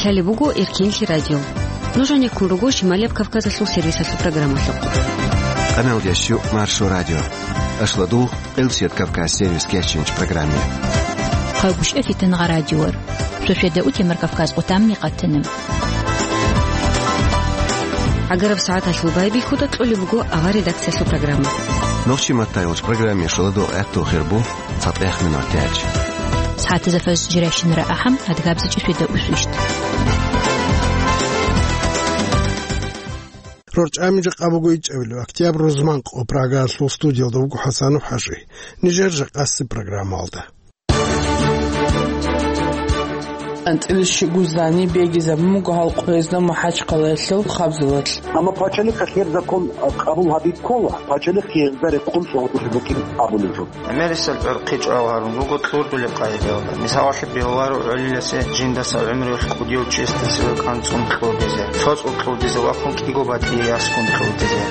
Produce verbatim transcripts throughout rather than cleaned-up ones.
Лъалеб буго Эркенлъи радио. Нуж гьанеккун руго Шималияб Кавказалъул сервисалъул программалъухъ. Къаналдящу Маршо радио. Ашладул Элсият Кавказ сервис кечинч программе. Хъагушев Фитнагъа радиор. Шошеда утемар Кавказ къутамни къатана. ГӀагараб сагӀаталъул байбихьуда кьолеб буго авар редакциялъул программа. Нохчи маттайолч программе шоладо гӀехтул хирбу цатӀех минут тяч. СагӀатазда фаз жиращинара ахӀам адгабзичӀи шведа усвищт. РорчӀами жакъа буго ичӀабилеб октябрь рузман къо Прагаялъул студиялда вуго ХӀасанов ХӀажи. Нижер жакъасеб программалда. АнцӀила щугу зани бегизабун буго гьал къоязда МахӀачхъалаялъул хабзалалъ. Амма пачалихъалъ гьеб закон, а, къабул гьабизе ккола, пачалихъ гьезда рекъон цӀалулеб букӀин абулеб жо. ГӀемерисел гӀурхъи чӀвал гьарун руго кьурдулеб къагӀидаялда. Мисалалъе бегьуларо гӀолиласе жиндаса гӀумруялъ кӀудияв чиясда цеве кӀанцӀун кьурдизе, цо цӀул кьурдизе ва кӀиго батӀие яскун кьурдизе.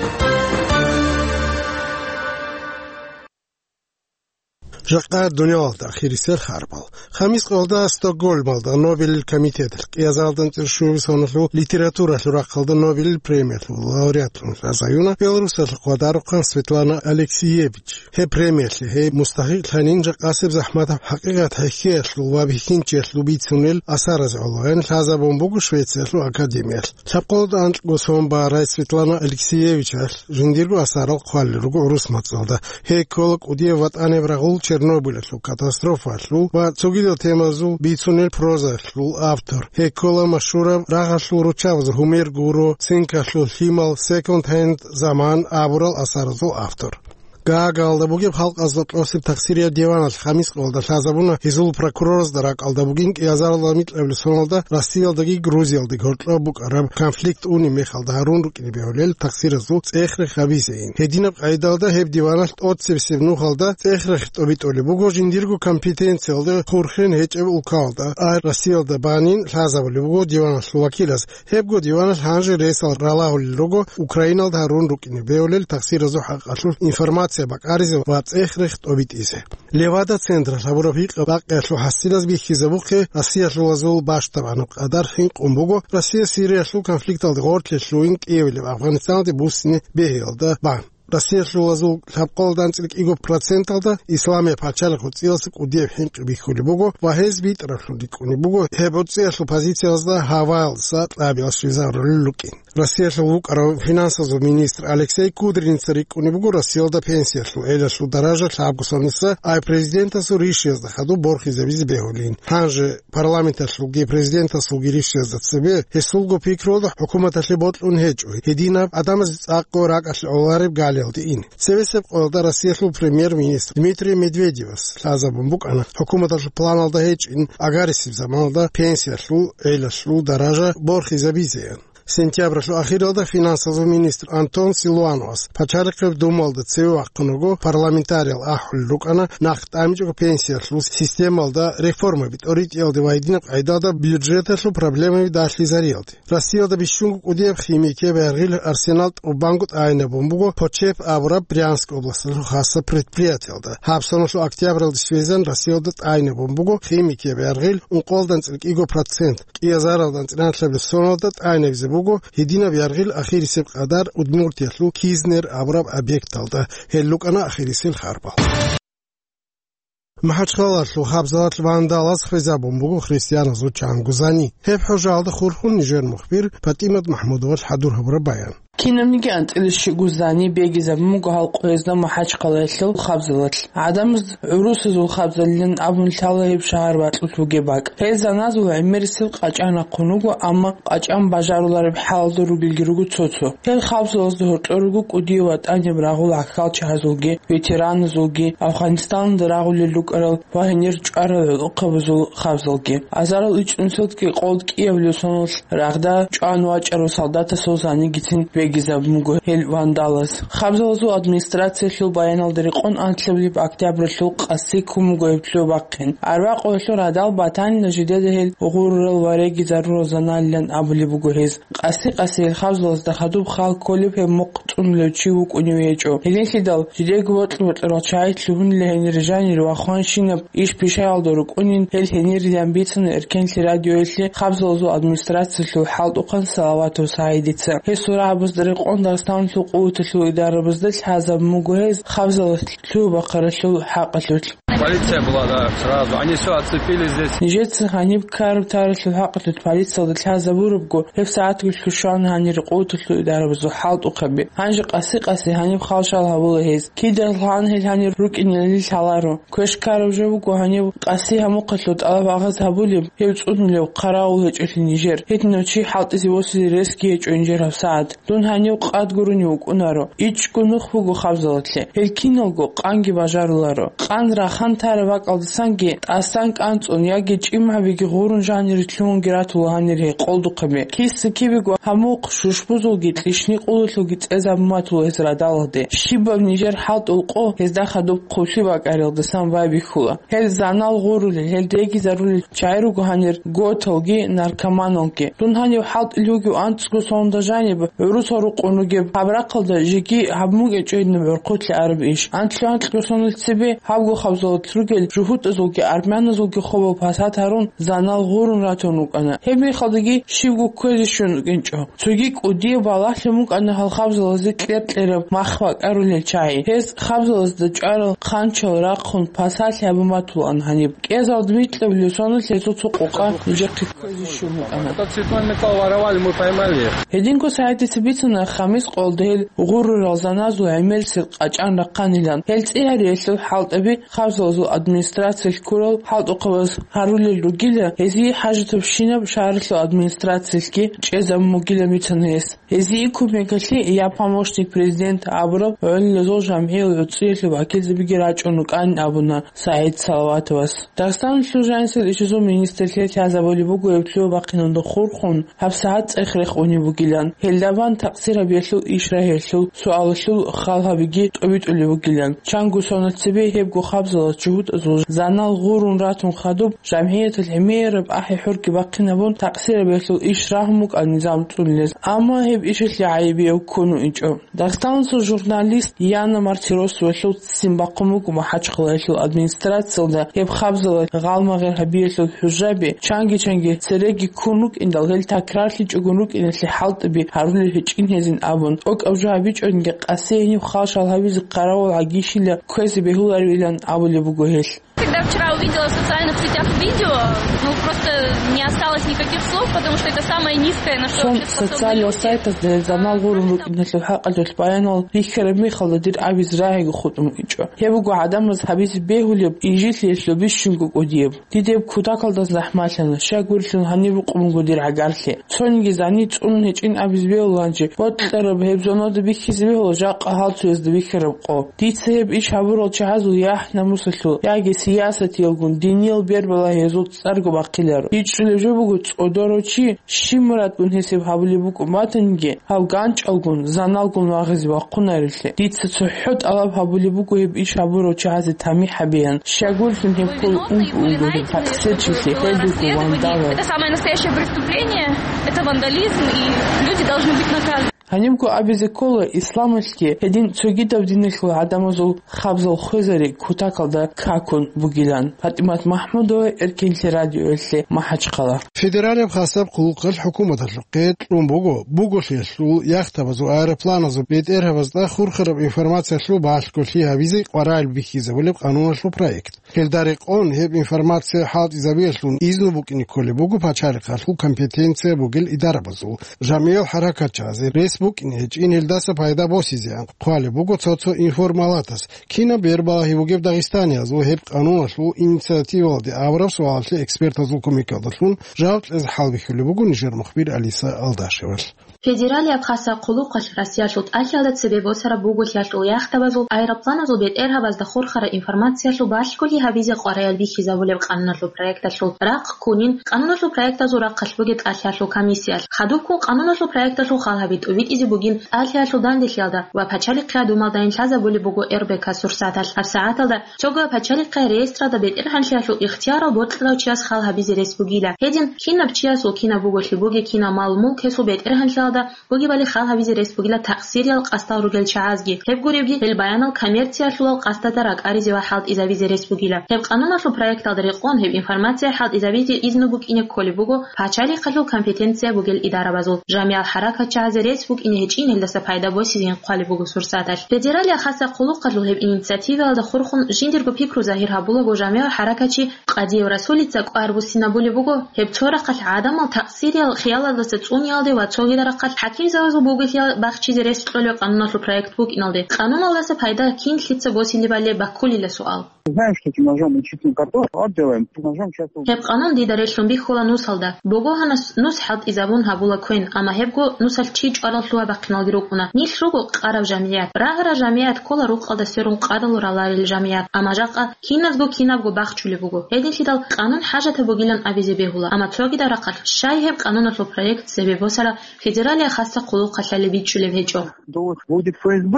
Жакъа дуниялалда ахирисел харбал. Хамис къоялда Стокгольмалда Нобелил комитеталъ кӀиазаралда анцӀила щуябилеб соналъул литературалъул рахъалда Нобелил премиялъул лауреатлъун лъазаюна Беларусалъухъ ватарухъан Светлана Алексеевич. Гьеб премиялъе гьей мустахӀикълъанин жакъасеб захӀматаб хӀакъикъат хӀехьеялъул ва бихьинчиялъул бицунел асаразе гӀолоян лъазабун буго Швециялъул академиялъ. Лъабкъоялда анкьго сон барай Светлана Алексеевичалъ жиндирго асарал хъвалел руго гӀурус мацӀалда. Гьей ккола кӀудияб ватӀаниб рагъул Чернобыльалъул катастрофаялъул ва цогидал темазул бицунел прозаялъул автор. Гьей ккола машгьураб рагъалъул руччабазул Гьумер гуро, Цинкалъул лъимал, Секонд Хенд Заман абурал асаразул автор. Гаагаялда бугеб халкъазда кьосеб тахсирияб диваналъ Хамис къоялда лъазабуна гьезул прокуроразда ракӀалда бугин кӀиазаралда микьабилеб соналда Россиялдаги Грузиялдаги гьоркьоб букӀараб конфликт унеб мехалда гьарун рукӀине бегьулел тахсиразул цӀех-рех гьабизейин. Гьединаб къайдалда гьеб диваналъ тӀоцебесеб нухалда цӀех-рех тӀобитӀулеб буго жиндирго компетенциялда хурхен гьечӀеб улкалда, а Россиялда банин лъазабулеб буго диваналъул вакилаз. Гьебго диваналъ гьанже ресал ралагьулел руго Украиналда гьарун рукӀине бегьулел тахсиразул хӀакъалъулъ информация бакӀаризе ва цӀех-рех тӀобитӀизе. Левада-централъ гьабураб гьикъаб-бакъиялъул хӀасилаз бихьизабухъе Россиялъулазул бащдабанаб къадар хӀинкъун буго Россия Сириялъул конфликталде гъорлъе лъугьин кӀиявилеб Афганистаналде буссине бегьиялда бан. Россиялъулазул лъабкъоялда анцӀила кӀиго проценталда Исламияб пачалихъ гӀуцӀиялъул кӀудияб хӀинкъи бихьулеб буго ва гьез битӀараблъун рикӀкӀунеб буго гьеб гӀуцӀиялъул позициялда гьаваялдаса кьабиялъ щвезарулел рукӀин. Россиялъул вукӀарав финансазул министр Алексей Кудриница рикӀкӀунеб буго Россиялда пенсиялъул гӀелалъул даража лъабго соналъ, ай президентасул ришиязда хадуб борхизабизе бегьулин. Гьанже парламенталъулги президентасулги ришиязда цебе гьесулго пикруялда хӀукуматалъе бокьун гьечӀо гьединаб гӀадамазе цӀакъго ракӀалъе гӀолареб галиялде ин. Цебесеб къоялда Россиялъул премьер-министр Дмитрий Медведевас лъазабун букӀана хӀукуматалъул планалда гьечӀин агарисеб заманалда пенсиялъул гӀелалъул даража борхизабизеян. Сентябралъул ахиралда финансазул министр Антон Силуановас Пачалихъеб Думалда цеве вахъун вуго, парламентариял ахӀулел рукӀана нахъ тӀамичӀого пенсиялъул системалда реформаби тӀоритӀиялде ва гьединаб къайдалда бюджеталъул проблемаби далъизариялде. Россиялда бищунго кӀудияб химикияб яргъил арсенал тӀубанго тӀайинабун буго Почеп абураб Брянск областалъул хасаб предприятиялда. Гьаб соналъул октябралде щвезан Россиялда тӀайинабун буго химикияб яргъил ункъоялда анцӀила кӀиго процент. КӀиазаралда анцӀила анлъабилеб соналда тӀайинабизе буго гьединаб яргъил ахирисеб къадар Удмуртиялъул Кизнер абураб объекталда. Гьел рукӀана ахирисел харбал. МахӀачхъалалъул хабзалалъ вандалаз хвезабун буго христианазул чанго зани. Гьеб хӀужаалда хурхун нижер мухбир ПатӀимат МахӀмудовал хӀадур гьабураб баян. Кинабниги анцӀила щугу зани бегизабун буго гьал къоязда МахӀачхъалаялъул хабзалалъ. ГӀадамаз гӀурусазул хабзалилан абун лъала гьеб шагьар бакьулъ бугеб бакӀ. Гьел заназул гӀемерисел къачӀан рахъун руго, амма къачӀан бажарулареб хӀалалда ругелги руго цо-цо. Гьел хабзалазда гьоркьор руго кӀудияв ватӀаниб рагъул гӀахьалчагьазулги, ветераназулги, Афганистаналда рагъулел рукӀарал ва гьенир чӀварал гӀолохъабазул хабзалги. Азарал ичӀнусилги къолд кӀиявлъул соналъ рагъда чӀван вачӀарав солдатасул занигицин регизабун буго гьел вандалас. Хабзалазул администрациялъул баяналда рекъон анлъабилеб октябралъул къаси ккун буго гьеб лъугьа-бахъин. Арбакъуялъул радал батанила жидеда гьел гъурурал ва регизарурал заналилан абулеб буго гьез. Къаси-къаси гьел хабзалазда хадуб хал кколеб гьеб мухъ цӀунулев чи вукӀунев гьечӀо. Гьелелъидал жидеего бокьа-бокьарал чагӀи лъугьунила гьенир жанир ва хванщинаб иш пишаялда рукӀунин гьел гьенирилан бицана Эркенлъи радиоялъе хабзалазул администрациялъул хӀалтӀухъан Салаватов СагӀидица. Гьесул рагӀабазда рекъон Дагъистаналъул къуваталъул идарабазда лъазабун буго гьез хабзалас лъугьа-бахъаралъул хӀакъалъулъ. Полиция была, да, сразу. Они всё оцепили здесь. Нижеца гьаниб ккараб-таралъул хӀакъалъулъ полициялда лъазабурабго, гьеб сагӀатго лъугьана гьанир къуваталъул идарабазул хӀалтӀухъаби. Гьанже къаси-къаси гьаниб хал-шал гьабула гьез. Кида лъан гьел гьанир рукӀинали лъаларо. Квеш ккараб жо буго гьаниб къаси гьамухъалъур тӀалаб-агъаз гьабулеб, гьев цӀунулев хъаравул гьечӀолъи нижер. Гьединав чи хӀалтӀизе восизе ресги гьечӀо нижер гьабсагӀат. Дун гьанив къад гурони вукӀунаро. ИчӀго нух буго хабзалалъе. Гьел киналго къанги бажаруларо. Къан рахан тараб бакӀалдасанги тӀасан кӀанцӀун яги чӀимгӀабиги гъурун жанире лъугьунги ратула гьанир гьей къолдухъаби. Киса-кибего гьамухъ шушбузулги кьишни-къулалъулги цӀезабун батула гьез радалалде. Щибаб нижер хӀалтӀул къо гьезда хадуб хъублъи бакӀариялдасан байбихьула. Гьел занал гъурулел, гьел регизарулел чагӀи руго гьанир готалги наркоманалги. Дун гьанив хӀалтӀулев вугев анцӀго сонда жаниб гӀурусал рукъун ругеб гьаб рахъалда жеги гьабун букӀинчӀо гьединаб гӀурхъулъи араб иш. Анлъго-анлъго сонал цебе гьабго хабзалалъ ругел жугьутӀазулги армяназулги хобал пасат гьарун, занал гъурун ратун рукӀана. Гьеб мехалдаги щибго кквезе щун рукӀинчӀо. Цоги кӀудияб балагьлъун букӀана гьал хабзалазе кьер-кьераб мах бакӀарулел чагӀи. Гьез хабзалазда чӀварал хъанчал рахъун пасалъи гьабун батулаан гьаниб. КӀезалда микьабилеб соналъ гьезул цо къокъа нижехъе кквезе щун букӀана. Этот цветной металл воровали, мы поймали их. Гьединго СагӀидица бицана, Хамис къоялда гьел гъурурал заназул гӀемерисел къачӀан рахъанилан. Гьел цӀи гьариялъул хӀалтӀаби хабзалазул администрациялъ ккурал хӀалтӀухъабаз гьарулел ругила, гьезие хӀажатабщинаб шагьаралъул администрациялъги чӀезабун бугилан бицана гьес. Гьезие кумекалъе «Я помощник президента» абураб гӀолилазул жамгӀиял гӀуцӀиялъул вакилзабиги рачӀун рукӀанин абуна СагӀид Салаватовас. Дагъистаналъул жанисел ишазул министрлъи лъазабулеб буго гьеб лъугьа-бахъиналда хурхун гьабсагӀат цӀех-рех унеб бугилан. Гьелда бан такъсир гьабиялъул иш рагьиялъул суалалъул хал гьабиги тӀобитӀулеб бугилан. Чанго сонал цебе гьебго хабзалас жугьутӀазул занал гъурун ратун хадуб, жамгӀияталъ гӀемераб ахӀи-хӀурги бахъинабун, такъсир гьабиялъул иш рагьун букӀана низам цӀунулез. Амма гьеб ишалъе гӀайибияв ккун вугӀинчӀо. Дагъистаналъул журналист Яна Мартиросовалъул ццин бахъун буго МахӀачхъалаялъул администрациялда гьеб хабзалалъ гъалмагъир гьабиялъул хӀужаби, чанги-чанги цереги ккун рукӀиндал, гьел такрарлъичӀогун рукӀиналъе хӀалтӀаби гьарулел гьечӀин гьезин абун, тӀокӀаб жо гьабичӀониги къаси гьениб хал-шал гьабизе хъаравул гӀагищила кквезе бегьуларивилан абулеб буго гьелъ. Когда вчера увидела в социальных сетях видео, ну, просто не осталось никаких слов, потому что это самое низкое, на что Сон вообще способны социальный люди. Сайтазда гьел занал гъурун рукӀиналъул хӀакъалъулъ баянал рихьараб мехалда дир абизе рагӀиго хутӀун вугӀинчӀо. Гьеб буго гӀадамаз гьабизе бегьулеб, инжитлъиялъул бищунго кӀудияб. Дида гьеб кутакалда захӀмалъана, щай гурелъул гьаниб рукъун буго дир гӀагарлъи. Цониги зани цӀунун гьечӀин абизе бегьула гьанже, бокьараб гьеб зонада бихьизе бегьула жакъа гьал цоязда бихьараб къо. Дица гьеб иш гьабурал чагӀазул яхӀ-намусалъул яги сиясатиялгун диниял бербалагьиязул цӀарго бахъиларо. ИчӀулеб жо буго цӀодорав чи щиб мурадгун гьесиб гьабулеб букӀун батаниги, гьав ганчӀалгун, заналгун вагъизе вахъунарелъе. Дица цохӀо тӀалаб гьабулеб буго гьеб иш гьабурав чагӀазе тамихӀ гьабеян. Щай гурелъул гьеб ккола унго-унго гьеб такъсирчилъи, гьел руго вандалал. Это самое настоящее преступление, это вандализм, и люди должны быть наказаны. Гьанибго абизе ккола исламалъги гьедин цогидаб диналъул гӀадамазул хабзал хвезари кутакалда какун бугилан. ПатӀимат МахӀмудова, Эркенлъи радиоялъе, МахӀачхъала. Федералияб хасаб хъулухъалъ хӀукуматалъухъе кьун буго буголъиялъул яхтабазул аэропланазул бетӀергьабазда хурхараб информациялъул балъголъи гьабизе къваригӀел бихьизабулеб къануналъул проект. Гьелда рекъон гьеб информация хӀалтӀизабиялъун изну букӀине кколеб буго пачалихъалъул компетенция бугел идарабазул, жамгӀиял хӀаракатчагӀазе рес букӀине гьечӀин гьелдаса пайда босизеан хъвалеб буго цо-цо информалатас. Кинаб бербалагьи бугеб дагъистаниязул гьеб къануналъул инициативалде абураб суалалъе экспертазул кумекалдалъун жаваб кьезе хӀалбихьулеб буго нижер мухбир Алиса Алдашевалъ. Федералияб хасаб хъулухъалъ Россиялъул тӀалъиялда цебе босараб буголъиялъул яхтабазул аэропланазул бетӀергьабазда хурхараб информациялъул балъголъи гьабизе къваригӀел бихьизабулеб къануналъул проекталъул рахъ ккунин, къануналъул проектазул рахъалъ бугеб тӀалъиялъул комиссиялъ. Хадубккун къануналъул проекталъул хал гьаби тӀубитӀизе бугин тӀалъиялъул дандилъиялда ва пачалихъи гьадумалдайин лъазабулеб буго РБК Сурсаталъ. ГьабсагӀаталда цого пачалихъи реестралда бетӀергьанлъиялъул ихтиярал бокьарав чияс хал гьабизе рес бугила. Гьедин, кинаб чиясул кинаб буголъи бугеб, кинаб мал-мулк гьесул бетӀергьанлъиялда бугебали хал гьабизе рес бугила такъсириял къасдал ругел чагӀазги. Гьеб гуребги, гьел баянал коммерциялъулал къасдазда ракӀаризе ва хӀалтӀизабизе рес бугила. Гьеб къануналъул проекталда рекъон гьеб информация хӀалтӀизабизе изну букӀине кколеб буго пачалихъалъул компетенция бугел идарабазул. Жамигьал хӀаракатчагӀазе рес букӀине гьечӀин гьелдаса пайда босизейин хъвалеб буго Сурсаталъ. Федералияб хасаб хъулухъалъул гьеб инициативаялда хурхун жиндирго пикру загьир гьабулаго жамигьал хӀаракатчи Къадиев Расулица кӀвар буссинабулеб буго, гьеб цо рахъалъ гӀадамал такъсириял хиялалдаса цӀуниялде ва цогидал рахъалъ хӀакимзабазул буголъиялда бахчизе рес кьолеб къануналъул проект букӀиналде. Къануналдаса пайда кин лъица босилебали баккулила суал. Знаешь, что этим ножом и чистым картошку отделаем, ножом сейчас... Гьеб къанун дида релълъун бихьула нусалда. Богогьанас нус хӀалтӀизабун гьабула квен, амма гьебго нусалъ чи чӀварал лъугьа-бахъиналги рукӀуна. Нилъ руго къараб жамигӀат. Рагъараб жамигӀат ккола рукъалда сверун къадалу раларел жамигӀат, амма жакъа киназго кинабго бахчулеб буго. Гьединлъидал къанун хӀажатаб бугилан абизе бегьула, амма цогидал рахъалъ щай гьеб къануналъул проект цебе босараб федералияб хасаб хъулухъалъали бичӀчӀулеб гьечӀо. Будет ФСБ,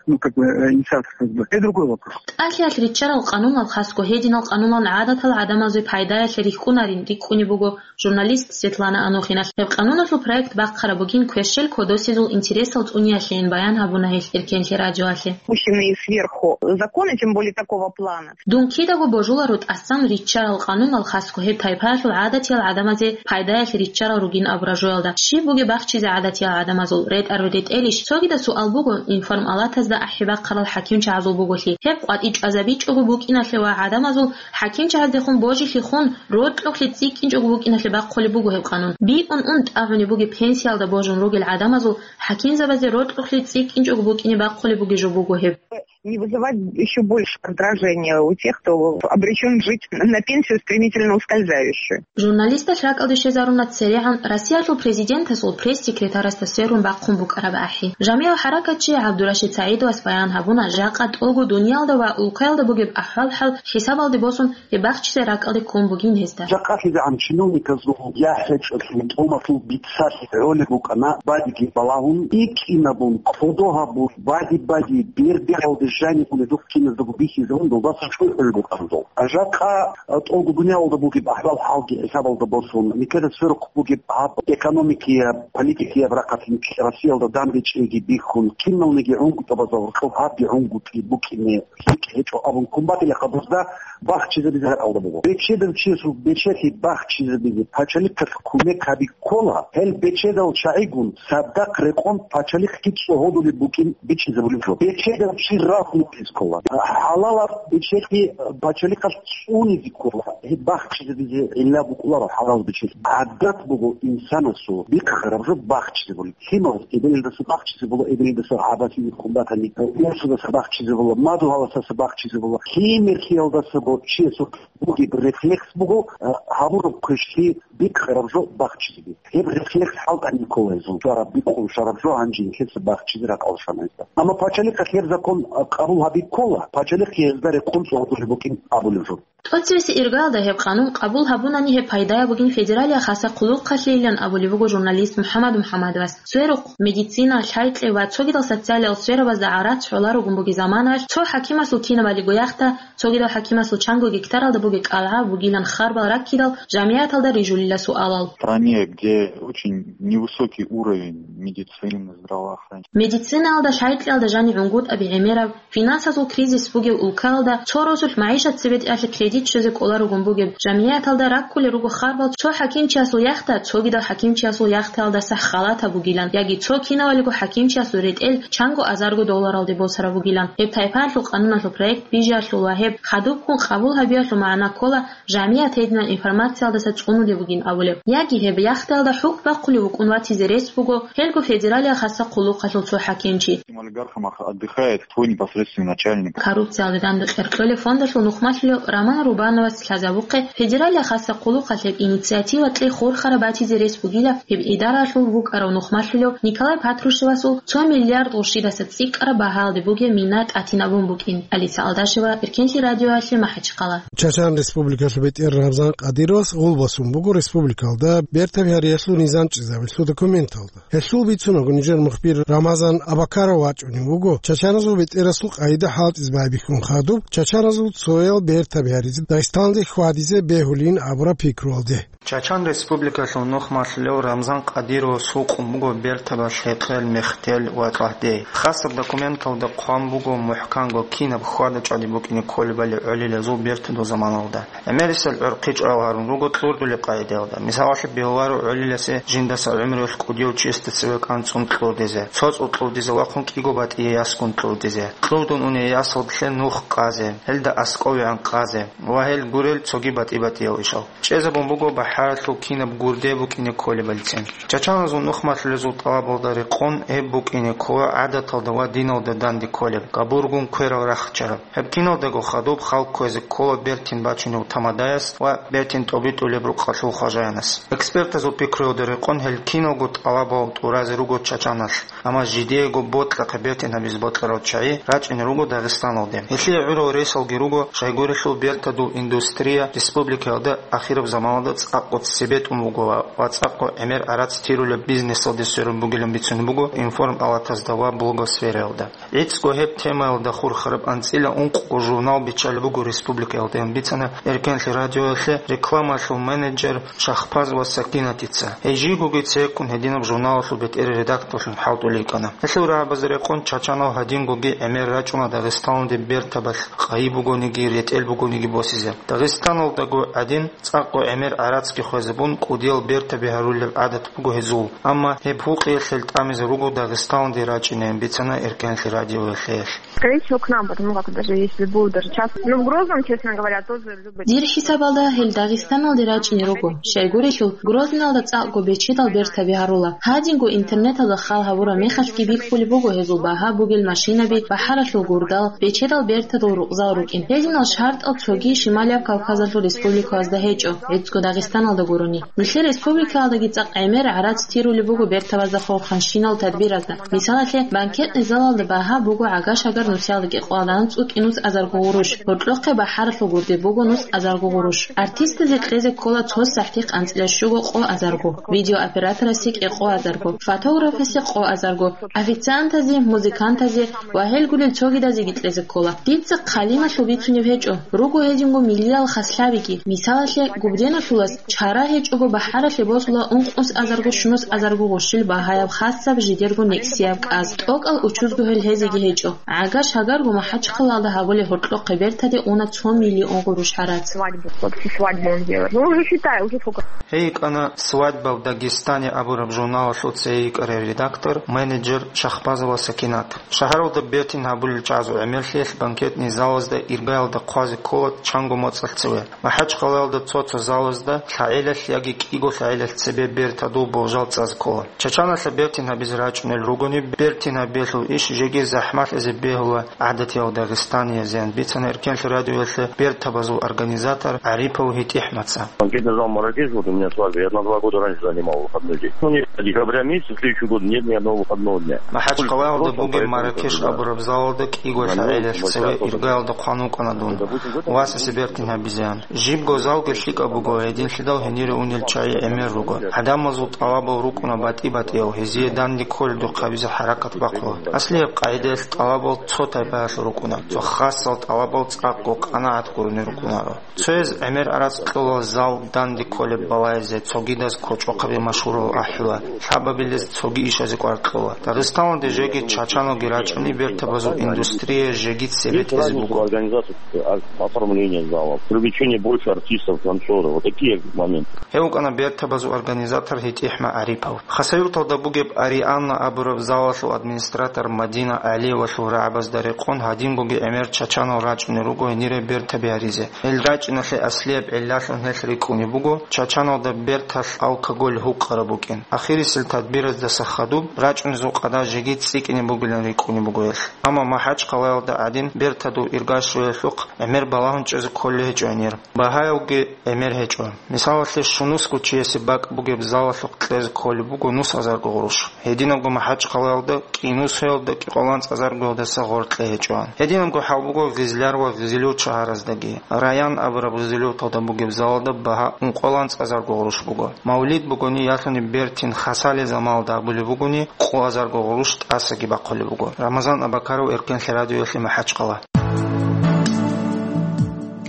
ну, как бы, э, инициатор ФСБ, это другой вопрос. ТӀалъиялъ риччарал къанунал хасго гьединал къануналъ гӀадатал гӀадамазе пайдаялъе рихьунарин рикӀкӀунеб буго журналист Светлана Анохиналъ. Гьеб къануналъул проект бахъараб бугин квешел кодосезул интересал цӀуниялъейин баян гьабуна гьелъ Эркенлъи радиоялъе. Пущенные сверху законы, тем более такого плана. Дун кидаго божуларо тӀасан риччарал къанунал хасго гьеб тайпаялъул гӀадатиял гӀадамазе пайдаялъе риччарал ругин абураб жоялда. Щиб бугеб бахчизе гӀадатиял гӀадамазул? РетӀараб ретӀелищ? Цогидаб суал буго информалатазда ахӀи бахъарал хӀакимчагӀазул буголъи. Гьеб къватӀи чӀвазабичӀого букӀиналъе ва гӀадамазул хӀакимчагӀаздехун божилъихун, рокьухълъи цӀикӀкӀинчӀого букӀиналъе бахъулеб буго гьеб къанун. БикӀун ун тӀагӀунеб бугеб пенсиялда божун ругел гӀадамазул хӀакимзабазе рокьухълъи цӀикӀкӀинчӀого букӀине бахъулеб бугеб жо буго гьеб. Не вызывать ещё больше раздражения у тех, кто обречён жить на пенсию, стремительно ускользающую. Журналисталъ ракӀалде щвезаруна церегӀан Россиялъул президентасул пресс-секретарасда сверун бахъун букӀараб ахӀи. Жамигьал хӀаракатчи ГӀабдурашид СагӀидовас баян гьабуна, жакъа тӀолго дуниялда ва улкаялда бугеб ахӀвал-хӀал хӀисабалде босун, гьеб бахчизе ракӀалде ккун бугин гьезда. Жакъа лъизегӀан чиновниказул яхӀ гьечӀолъун тӀомалъул бицалъ гӀолеб букӀана, бадиги балагьун, икӀинабун, кодо гьабун, бади-бади, бер-бералде жаниб унедухъ киназдаго бихьизабун, долдаса чӀухӀулеб букӀана дол. Жакъа, а, тӀолго дуниялалда бугеб ахӀвал-хӀалги хӀисабалда босун, никеда сверухъ бугеб гьаб экономикияб, политикияб рахъалъ Россиялда дандечӀейги бихьун, киналниги гӀунгутӀабазда гьоркьоб гьабги гӀунгутӀи букӀине лъикӀ гьечӀо абун ккун батила хадурзда бахчизабизе ракӀалда буго. Бечедав чиясул бечелъи бахчизабизе пачалихъалъ кумек гьаби ккола, гьел бечедал чагӀигун цадахъ рекъон пачалихъги цӀогьодулеб букӀин бичӀчӀизабулеб жо. Бечедав чи рагьмулъиз ккола. ХӀалалаб бечелъи пачалихъалъ цӀунизе ккола. Гьеб бахчизабизе гӀилла букӀуларо хӀалал бечелъи. ГӀадат буго инсанасул бихъараб жо бахчизабулеб. Лъималас эбелалдаса бахчизабула, эбелалдаса гӀабасизе ккун батани, урсудаса бахчизабула, мадугьаласаса бахчизабула. Лъимерлъиялдаса бо-, чиясул бугеб рефлекс буго, а, гьабураб квешлъи бикъараб жо бахчизеби. Гьеб рефлекс хӀалтӀани ккола гьезул, чвараб бикъун щвараб жо гьанже нилъеца бахчизе ракӀалде щвана гьезда. Амма пачалихъалъ гьеб закон, а, къабул гьаби ккола, пачалихъ гьезда рекъон цӀогьодулеб букӀин абулеб жо. ТӀоцевесеб иргаялда гьеб къанун къабул гьабунани гьеб пайдаяб бугин федералияб хасаб хъулухъалъейилан абулеб буго журналист МухӀаммад МухӀаммадовас. Сверухъ, медицина, лъай-кье ва цогидал социалиял сферабазда гӀарац гӀоларугун бугеб заманаялъ цо хӀакимасул кинабалиго яхта, цогидал хӀакимасул чанго гектаралда бугеб кӀалгӀа бугилан харбал раккидал жамигӀаталда рижулила суалал. В стране, где очень невысокий уровень медицины, здравоохранения. Медицинаялда, лъай-кьеялда жаниб гӀунгутӀаби гӀемераб, финансазул кризис бугеб улкаялда цо росулъ магӀишат цебетӀеялъе кредит щвезе кӀоларугун бугеб жамигӀаталда раккулел руго харбал цо хӀакимчиясул яхта, цогидал хӀакимчиясул яхтаялдаса халатаб бугилан, яги цо кинавалиго хӀакимчиясул ретӀел чанго азарго долларалде босараб бугилан. Гьеб тайпаялъул къануналъул проект бижиялъул ва гьеб хадубккун къабул гьабиялъул магӀна ккола, жамигӀат гьединал информациялдаса цӀунулеб бугин абулеб. Яги гьеб яхъталда хӀукму бахъулев вукӀун ватизе рес буго гьелго федералияб хасаб хъулухъалъул цо хӀакимчи. Олигархам отдыхает твой непосредственный начальник. Коррупциялде данде кьеркьолеб фондалъул нухмалъулев Роман Рубановас лъазабухъе федералияб хасаб хъулухъалъ гьеб инициатива кьей хурхараб батизе рес бугила гьеб идараялъул вукӀарав нухмалъулев Николай Патрушевасул цо миллиард гъурщидаса цӀикӀкӀараб багьалде бугеб мина тӀатинабун букӀин. Алиса Алдашева, Эркенлъи радиоялъе, МахӀачхъала. Чачан Республикалъул бетӀер Рамзан Къадировас гъул босун буго республикалда бертаб гьариялъул низам чӀезабилъул документалда. Гьелъул бицунаго нижер мухбир Рамазан Абакаров вачӀунев вуго чачаназул бетӀерасул къагӀида хӀалтӀизе байбихьун хадуб, чачаназул цоял бертаб гьаризе Дагъистаналде хьвадизе бегьулин абураб пикруялде. Чачан Республикалъул нухмалъулев Рамзан Къадировас гьукъун буго бертабазул хӀекъел, мехтел ва кьагьдей. Хасаб документалда хъван буго мухӀканго кинаб хьвада-чӀвади букӀине кколебали гӀолилазул бертадул заманалда. ГӀемерисел гӀурхъи чӀвал гьарун руго кьурдулеб къагӀидаялда. Мисалалъе, бегьуларо гӀолиласе жиндаса гӀумруялъ кӀудияв чиясда цеве кӀанцӀун кьурдизе, цоцӀул кьурдизе вахъун кӀиго батӀие ясгун кьурдизе, кьурдун уней ясалдалъе нух къазе, гьелда аскӀовегӀан къазе ва гьел гурел цоги батӀи-батӀиял ишал. ЧӀезабун буго бахӀаралъул кинаб гурде букӀине кколебалицин. Чачаназул нухмалъулезул тӀалабалда рекъон гьеб букӀине ккола гӀадаталда ва диналда данде кколеб, габургун кверал рахчараб. Гьеб киналдаго хадуб халкъ кквезе ккола бертин бачунев тамадаяс ва бертин тӀобитӀулеб рукъалъул хважаянас. Экспертазул пикруялда рекъон гьел киналго тӀалабал тӀуразе руго Чачаналъ, амма жидеего бокьахъе бертин гьабизе бокьарал чагӀи рачӀине руго Дагъистаналде. Гьелъие гӀурал ресалги руго, щайгурелъул бертадул индустрия республикаялда ахираб заманалда цӀакъго цебетӀун бугола ва цӀакъго гӀемер-гӀарац тирулеб бизнесалде сверун бугилан бицунеб буго информ-палатазда ва блогосфераялда. ГӀицӀго гьеб темаялда хурхараб анцӀила ункъго журнал биччалеб буго республикаялда, ян бицана Эркенлъи радиоялъе рекламалъул менеджер Шахпазова Сакинатица. Гьей жийгоги цеккун гьединаб журналалъул бетӀер редакторлъун хӀалтӀулел йикӀана. Гьелъул рагӀабазе рекъон чачанал гьадингоги гӀемер рачӀуна Дагъистаналде бертабалъ къайи бугониги, ретӀел бугониги босизе. Дагъистаналдаго гӀадин, цӀакъго гӀемер-гӀарацги хвезабун, кӀудиял бертаби гьарулеб гӀадат буго гьезул, амма гьеб гьукъиялъ гьел тӀамизе руго Дагъистаналде рачӀинеян бицана Эркенлъи радиоялъе гьелъ. Скорее всего, к нам, потому как даже если будет даже час. Ну, в Грозном, честно говоря, тоже любят. Дир хӀисабалда гьел Дагъистаналде рачӀине руго. Щайгурелъул, Грозныйалда цӀакъго бечедал бертаби гьарула. Гьадинго интернеталда хал гьабураб мехалъги бихьулеб буго гьезул багьа бугел машинаби, бахӀаралъул гурдал, бечедал бертадул рукъзал рукӀин. Гьединал шартӀал цоги Шималияб Кавказалъул республикаязда гьечӀо, гӀицӀго Дагъистаналда гурони. Нилъер республикаялдаги цӀакъ гӀемер гӀарац тирулеб буго бертабазда хурханщинал тадбиразда. Мисалалъе, банкетный залалда багьа буго гӀагаш-гьагар нусиялда кӀикъоялда анцӀго кӀинус азарго гъурущ, гьоркьохъе бахӀаралъул гурде буго нус азарго гъурущ. Артистазе кьезе ккола цо сахӀти къанцӀила щуго къо азарго, видеооператорасе кӀикъо азарго, фотографасе къо азарго, официантазе, музыкантазе ва гьел гурел цогидазеги кьезе ккола. Дица хъалималъул бицунеб гьечӀо, руго гьединго миллиял хаслъабиги. Мисалалъе, Губденалъулас чара гьечӀого бахӀаралъе босула ункънус азарго-щунус азарго гъурщил багьаяб хасаб жидерго некӀсияб кӀаз. ТӀокӀал учузго гьел гьезеги гьечӀо. ГӀагаш-гьагарго МахӀачхъалалда гьабулеб гьоркьохъе бертаде уна цо миллион гъурущ гьарац. Свадьбу. Вот всю свадьбу он делает. Ну, уже считай, уже сколько. Гьей йикӀана «Свадьба в Дагестане» абураб журналалъул цее йикӀарай редактор, менеджер Шахпазова Сакинат. Шагьаралда бертин гьабулел чагӀазул гӀемерлъиялъ банкетный залазда иргаялда хъвазе ккола чанго моцӀалъ цеве. МахӀачхъалаялда цо-цо залазда лъагӀелалъ яги кӀиго лъагӀелалъ цебе бертадул болжал цӀазе ккола. Чачаналъа бертин гьабизе рачӀунел ругони, бертин гьабиялъул иш жеги захӀмалъизе бегьула гӀадатиял дагъистаниязеян, бицана Эркенлъи радиоялъе бертабазул организатор ГӀарипов ГьитӀихӀмаца. Банкетный зал «Маракеш», вот у меня свадьба, я на два года раньше занимал выходной день. Ну, не декабря месяца, следующий год нет ни одного выходного дня. МахӀачхъалаялда бугеб «Маракеш» абураб залалда кӀиго лъагӀелалъ цеве иргаялда хъван вукӀана дун, васасе бертин гьабизеян. Жибго залги лъикӀаб буго, гьединлъидал гьенире унел чагӀи гӀемер руго. ГӀадамазул тӀалабал рукӀуна батӀи-батӀияв, гьезие данде кколедухъ гьабизе хӀаракат бахъула. Аслияб къагӀидаялъ тӀалабал цо тайпаялъул рукӀуна, цо хасал тӀалабал цӀакъго къанагӀат гурони рукӀунаро. Цояз гӀемер-гӀарац кьола зал данде кколеб балайзе, цогидаз кочӀохъаби машгьурал ахӀула. Лъабабилез цоги ишазе кӀвар кьола. Дагъистаналде жеги чачаналги рачӀуни бертабазул индустрия жеги цебетӀезе буго. Организация, а, оформление залов, привлечение больше артистов, танцоров. Вот такие моменты. Гьев вукӀана бертабазул организатор ГьитӀихӀма ГӀарипов. Хасавюрталда бугеб Арианна абураб залалъул администратор Мадина ГӀалиевалъул рагӀабазда рекъон гьадин бугеб гӀемер чачанал рачӀунел руго гьенире бертаби гьаризе. Гьел рачӀиналъе аслияб гӀиллалъун гьелъ рикӀкӀунеб буго, чачаналда берталъ алкоголь гьукъараб букӀин. Ахирисел тадбираздаса хадуб, рачӀунезул къадар жеги цӀикӀкӀине бугилан рикӀкӀунеб буго гьелъ. Амма МахӀачхъалаялда гӀадин бертадул ирга щвеялъухъ гӀемер балагьун чӀезе кколей гьечӀо гьенир. Багьаялги гӀемер гьечӀо. Мисалалъе, щунусго чиясе бакӀ бугеб залалъухъ кьезе кколеб буго нус азарго гъурущ. Гьединабго МахӀачхъалаялда кӀинусиялда кӀикъоялда анцӀ азаргоялдаса гъоркье гьечӀоан. Гьединабго хӀал буго Гъизляр ва Гъизилюрт шагьараздаги. Раян абураб Гъизилюрталда бугеб залалда багьа ункъоялда анцӀ азарго гъурущ буго. Мавлид бугони, ялъуни бертин хасалел заманалда абулеб бугони, къо азарго гъурущ тӀасаги бахъулеб буго. Рамазан Абакаров, Эркенлъи радиоялъе, МахӀачхъала.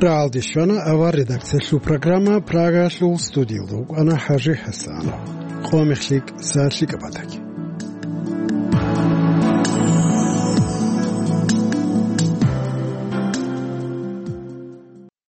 РагӀалде щвана авар редакциялъул программа, Прагаялъул студиялда вукӀана ХӀажи ХӀасанов. Къо мехлъи, са лъикӀаб батаги.